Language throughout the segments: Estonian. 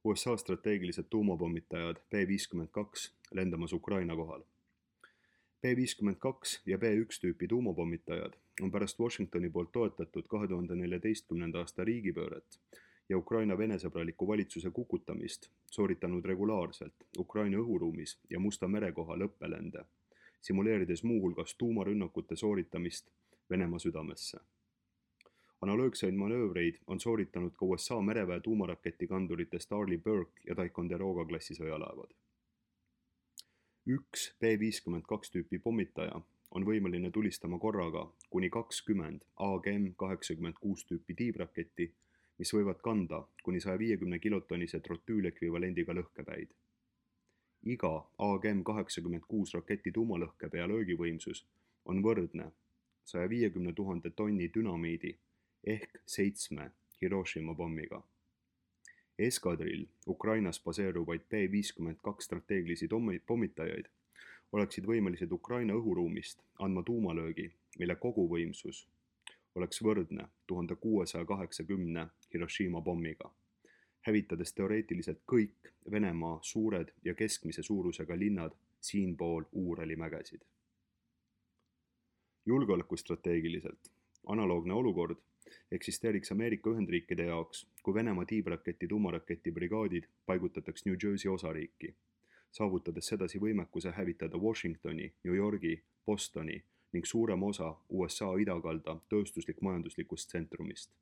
USA strateegilised tuumapommitajad B-52 lendamas Ukraina kohal. B-52 ja B-1 tüüpi tuumapommitajad on pärast Washingtoni poolt toetatud 2014. aasta riigipööret ja Ukraina venesõbraliku valitsuse kukutamist sooritanud regulaarselt Ukraina õhuruumis ja Musta mere kohal õppelende, simuleerides muuhulgas tuumarünnakute sooritamist Venemaa südamesse. Analoogseid manöövreid on sooritanud ka USA mereväe tuumaraketikandurite Starley Burke ja Ticonderoga klassi sõjalaevad. Üks B-52 tüüpi pommitaja on võimeline tulistama korraga kuni 20 AGM-86 tüüpi tiibraketti, mis võivad kanda kuni 150 kilotonnise trotüülekvivalendiga lõhkepäid. Iga AGM-86 raketi tuumalõhkepea löögivõimsus on võrdne 150 000 tonni dünamiidi ehk 7 Hiroshima pommiga. Eskadrill Ukrainas baseeruvaid B-52 strateegilisi pommitajaid oleksid võimelised Ukraina õhuruumist andma tuumalöögi, mille koguvõimsus oleks võrdne 1680 Hiroshima pommiga, hävitades teoreetiliselt kõik Venemaa suured ja keskmise suurusega linnad siinpool Uurali mägesid. Julgeolekustrateegiliselt analoogne olukord eksisteeriks Ameerika Ühendriikide jaoks, kui Venemaa tiibraketi tuumaraketibrigaadid paigutataks New Jersey osariiki, saavutades sedasi võimekuse hävitada Washingtoni, New Yorgi, Bostoni ning suurema osa USA idakalda tööstuslik-majanduslikust tsentrumist.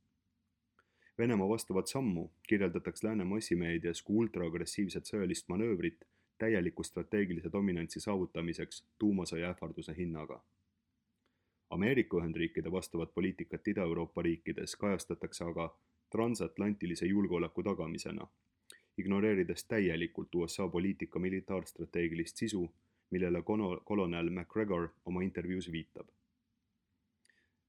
Venemaa vastavat sammu kirjeldatakse lääne massimeedias kui ultraagressiivset sõjalist manöövrit täieliku strateegilise dominantsi saavutamiseks tuumasõja ähvarduse hinnaga. Ameerika Ühendriikide vastavat poliitikat Ida-Euroopa riikides kajastatakse aga transatlantilise julgeoleku tagamisena, ignoreerides täielikult USA poliitika militaarstrateegilist sisu, millele kolonel McGregor oma intervjuus viitab.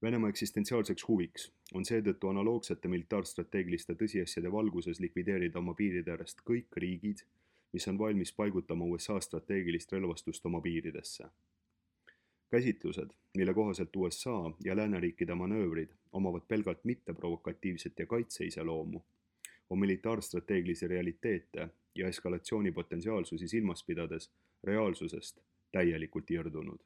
Venemaa eksistentsiaalseks huviks on seetõttu analoogsete militaarstrateegiliste tõsiasjade valguses likvideerida oma piiride äärest kõik riigid, mis on valmis paigutama USA strateegilist relvastust oma piiridesse. Käsitlused, mille kohaselt USA ja lääneriikide manöövrid omavad pelgalt mitteprovokatiivset ja kaitseiseloomu, on militaarstrateegilisi realiteete ja eskalatsiooni potentsiaalsusi silmas pidades reaalsusest täielikult irdunud.